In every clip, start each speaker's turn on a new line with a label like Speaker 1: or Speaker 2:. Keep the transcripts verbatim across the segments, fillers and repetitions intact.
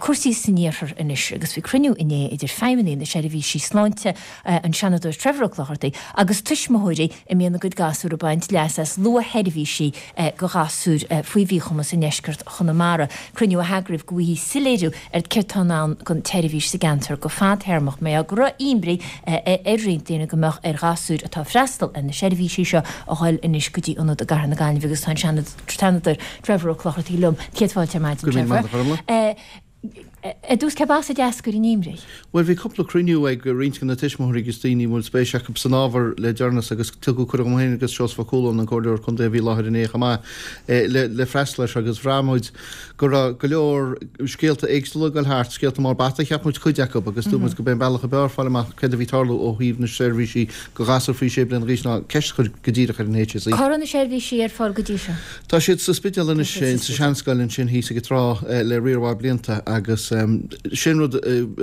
Speaker 1: Cúrsaí san iarthar anois agus bhí cruinniú inné idir feidhmeannaigh na seirbhísí sláinte an Seanadóir Trevor Ó Clochartaigh agus tuismitheoirí a mbíonn a gcuid gasúr ag baint leas as luathsheirbhísí go ghasúir faoi mhíchumas i ndeisceart Chonamara. Cruinniú a heagraíodh go bhfaighfí soiléiriú ar céard atá i ndán don tseirbhís sa gceantar go fadtéarmach. Mar go raibh imní ar roinnt daoine go mbeadh ar ghasúir atá ag freastal ar na seirbhísí seo a dhul anois go dtí ionad i gCathair na Gaillimhe agus tá an Seanadóir Trevor Ó Clochartaigh liom. Céad fáilte ar maidin, Trevor. Ar dtús cé as a d'eascair an imní?
Speaker 2: Bhuel bhí cúpla cruinniú ag roinnt de na tuismitheoirí agus daoine a bhfuil spéis acu san ábhar le deireanas agus tugadh cuireadh dom féin agus Seosamh Ó Cualáin, an Comhairleoir Contae a bhí i láthair inné chomh maith, le le freastal air seo agus bhraith muid go raibh go leor scéalta éagsúla ag dul thart, scéalta mar bata cheap muid cuid acu agus dúirt muid go b'é an bealach ab fhearr fáil amach céard a bhí ag tarlú ó thaobh na seirbhísí go ghasúir faoi sé bliana d'aois ná ceist a chur go díreach ar an HSE.
Speaker 1: Cá raibh na seirbhísí ar fáil go dtí seo?
Speaker 2: Tá siad sa Spidéal anois, sa seanscoil ansin thíos ag an trá le riar mhaith blianta agus sin rud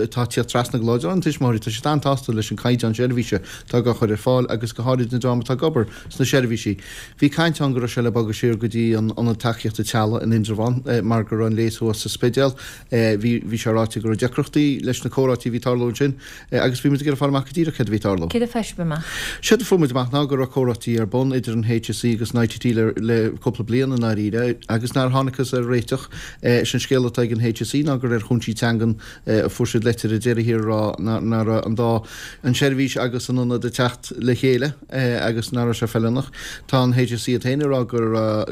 Speaker 2: atá ag tíocht trasna go láidir ó na tuismitheoirí, tá siad an-tsásta leis an caighdeán seirbhíse atá á chur ar fáil agus go háirid na dream atá ag obair sna seirbhísí. Bhí caint ann go raibh sé le bogadh siar go dtí an Ionad Tacaíochta Teaghlaigh in Indreabhán mar go raibh an léas thuas sa Spidéal. Bhí bhí sé ráite go raibh deacrachtaí leis na comhráití a bhí ag tarlú ansin agus bhí muid ag iarraidh fáil amach go díreach céard a bhí ag tarlú.
Speaker 1: Céard a fuair sibh amach?
Speaker 2: Séard a fuair muid amach ná go raibh comhráití ar bun idir an HSE agus an ITT le le cúpla bliain i ndáiríre agus nár thángthas ar réiteach. Is an scéal atá ag an HSE ná gur ar chúinsí teangan a fuair siad leitir ar deireadh thiar ag rá nach raibh an dá, an tseirbhís agus an ionad ag teacht le chéile agus nach raibh sé feiliúnach. Tá an HSE iad féin ag rá go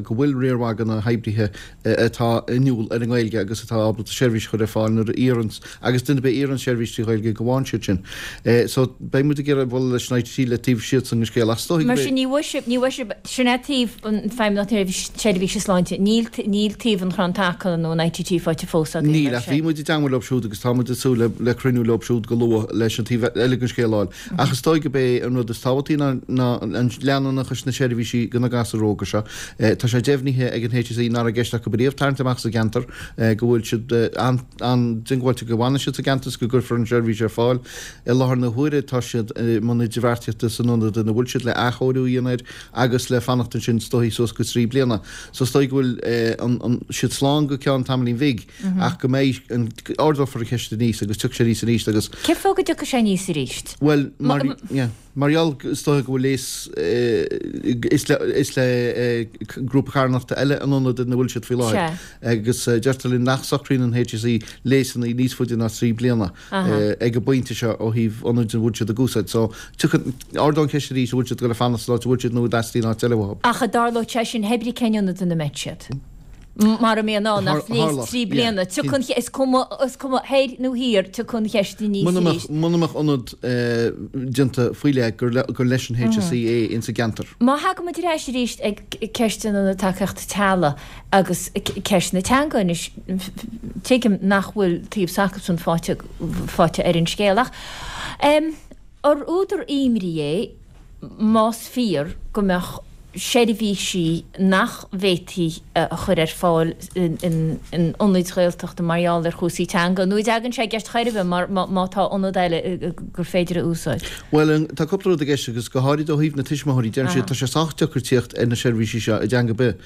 Speaker 2: go bhfuil riar mhaith de na hoibrithe atá inniúil ar an nGaeilge agus atá ábalta seirbhís a chur ar fáil nuair a iarrann agus duine ar bith a iarrann seirbhís trí Ghaeilge go bhfaigheann siad sin. So beidh muid ag iarraidh bualadh leis an ITT le taobh siadsan den scéal ach is dóigh
Speaker 1: Mar sin ní bhfuair sibh, ní bhfuair sibh, sin é taobh an Feidhmeannacht Seirbhíse Sláinte, níl, níl taobh an Chrann Taca nó an ITT faighte fós agaibh,
Speaker 2: Níl,
Speaker 1: mar
Speaker 2: ach bhí
Speaker 1: sin.
Speaker 2: muid i dteangmháil leo siúd agus tá muid ag súil le, le cruinniú leo siúd go luath leis an taobh eile den scéal a fháil. Ach is dóigh gurb é an rud is tábhachtaí ná, ná an leanúnachas na seirbhísí do na gasúir óga seo. Tá sé deimhnithe ag an HSE nach raibh i gceist acu riamh tarraingt amach as an gceantar, go bhfuil siad an-diongbháilte go bhfanfaidh siad sa gceantar is go gcuirfear an tseirbhís ar fáil. I láthair na huaire tá siad i mbun idirbheartaíochta san ionad ina bhfuil siad le athchóiriú a dhéanamh air agus le fanacht ansin is dóigh suas go trí bliana. So is dóigh go bhfuil siad slán go ceann tamaillín bhig ach go mbeidh an, ardófar an cheist aníos agus tiocfaidh sé aníos arís agus.
Speaker 1: Cén fáth go dtiocfaidh sé aníos arís?
Speaker 2: Bhuel, mar, yeah. Mar gheall, is dóiche go bhfuil léas, is le, is le grúpa carthanachta eile an ionad ina bhfuil siad faoi láthair agus deirtear linn nach socraíonn an HSE léasanna níos faide ná trí bliana ag an bpointe seo ó thaobh ionaid a bhfuil siad ag úsáid. So, tiocfaidh, ardóidh an cheist arís an bhfuil siad ag dul a fanacht san áit a bhfuil siad nó an dteastaíonn áit eile uathu.
Speaker 1: Ach an dtarlódh sé sin, hé brí cén ionad ina mbeidh siad. Mara mbíonn ann ach léas trí bliana, tiocfaidh an cheist, is cuma, is cuma thoir nó thiar, tiocfaidh an cheist aníos arís.
Speaker 2: Muna mbeadh ionad déanta faoi leith gur gur leis an HSE é ins an gceantar.
Speaker 1: Má thagann muid ar ais arís ag ceist an Ionaid Tacaíochta Teaghlaigh agus ceist na teanga anois, tuigim nach bhfuil taobh s'acusan faighte faighte ar an scéal ach ar údar imní é más fíor go mbeadh seirbhísí nach bhféadfaí a chur ar fáil in ionaid Ghaeltachta mar gheall ar chúrsaí teanga, nó an dtagann sé i gceist chor ar bith má tá ionad eile gur féidir a úsáid?
Speaker 2: Bhuel, tá cúpla rud i gceist agus go háirid ó thaobh na tuismitheoirí, deireann siad tá sé sách deacair tíocht ar na seirbhísí seo i dteanga ar bith,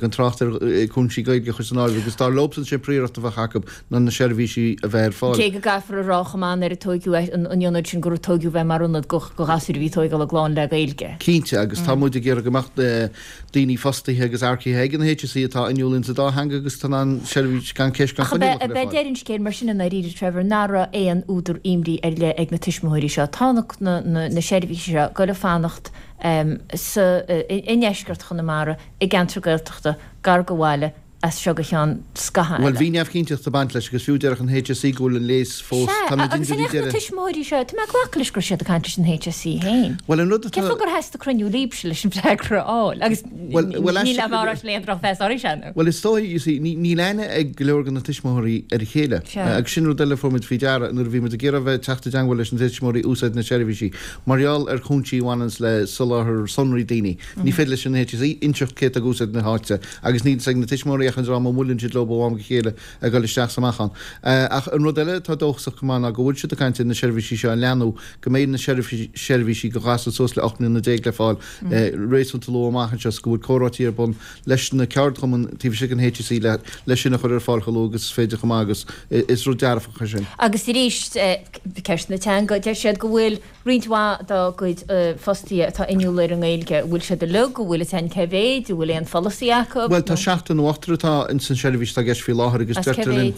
Speaker 2: gan trácht ar chúinsí Gaeilge a chur san áireamh agus dar leobsan sé príoracht a bheadh acu ná na seirbhísí a bheith ar fáil.
Speaker 1: Cé go gcaithfear a rá chomh maith nuair a tóigeadh an ionad sin gur tóigeadh é mar ionad go ghasúir a bhí ag tóigeáil a gclann le Gaeilge.
Speaker 2: Cinnte, agus tá muid ag iarraidh go mbeadh daoine fostaithe agus earcaithe ag an HSE atá inniúil insa dá theanga agus atá in ann seirbhís gan ceist gan
Speaker 1: Ach ab
Speaker 2: choinníoll a
Speaker 1: é
Speaker 2: chur ar fáil.
Speaker 1: deireadh an scéil mar sin i ndáiríre, Trevor, nach raibh aon údar imní ar leith ag na tuismitheoirí seo. Tá na seirbhísí seo ag goil a fanacht sa i ndeisceart Chonamara, i gceantar Gaeltachta, gar do bhaile, as seo go ceann scathaimh
Speaker 2: Bhuel,
Speaker 1: eile.
Speaker 2: bhí neamhchinnteacht ag baint leis agus fiú déarfadh an HSE go bhfuil an léas fós,
Speaker 1: Sea,
Speaker 2: tá muid
Speaker 1: agus
Speaker 2: indir
Speaker 1: an
Speaker 2: bhí
Speaker 1: mbeadh na
Speaker 2: deireadh.
Speaker 1: tuismitheoirí seo, tá mé ag glacadh leis go raibh siad ag caint leis an HSE féin.
Speaker 2: Bhuel, an rud
Speaker 1: Cén
Speaker 2: atá.
Speaker 1: fáth gur theastaigh cruinniú libhse leis an bhfreagra a fháil? Agus
Speaker 2: Bhuel, bhuel,
Speaker 1: níl
Speaker 2: aisteach
Speaker 1: am á rá le aon drochmheas oraibhse, nó?
Speaker 2: Bhuel, is dóigh, you see, ní, níl aithne ag go leor de na tuismitheoirí ar a chéile.
Speaker 1: Sea.
Speaker 2: Agus sin rud eile a fuair muid faoi deara nuair a bhí muid ag iarraidh a bheith ag teacht i dteangmháil leis na tuismitheoirí úsáid na seirbhísí mar gheall ar chúinsí a bhaineanns le soláthar sonraí daoine. Ní féidir leis an HSE inseacht cé atá ag úsáid na háite agus níl fhios ag na tuismitheoirí bheadh an dream a mbuaileann siad leo ó am go chéile ag dul isteach is amach ann. Ach an rud eile atá dóchasach go maith ná go bhfuil siad ag caint ar na seirbhísí seo a leathnú, go mbeidh na seirbhísí do ghasúir suas le ocht mbliana déag le fáil réasúnta luath amach anseo is go bhfuil comhráití ar bun leis na ceardchumainn taobh istigh den HSE le le sin a chur ar fáil chomh luath agus is féidir chomh maith agus is rud dearfach é sin.
Speaker 1: Agus arís, ceist na teanga, deir siad go bhfuil roinnt mhaith dá gcuid fostaithe atá inniúil ar an nGaeilge, an bhfuil siad uilig, an bhfuil a fhios againn cé mhéid, an bhfuil aon pholasaí acu?
Speaker 2: Bhuel, tá seachtar nó ochtar atá ins an seirbhís atá i gceist faoi láthair agus deirtear linn,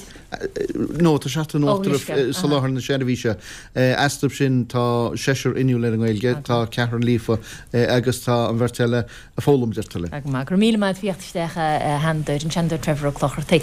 Speaker 2: nó tá seachtar nó ochtar ag soláthar na seirbhíse. Astu sin tá seisear inniúil ar an nGaeilge, tá ceathrar líofa agus tá an bheirt eile ag foghlaim, deirtear linn.
Speaker 1: Go maith, go raibh míle maith agat as a theacht isteach a Sheanadóir, an Seanadóir Trevor Ó Clochartaigh.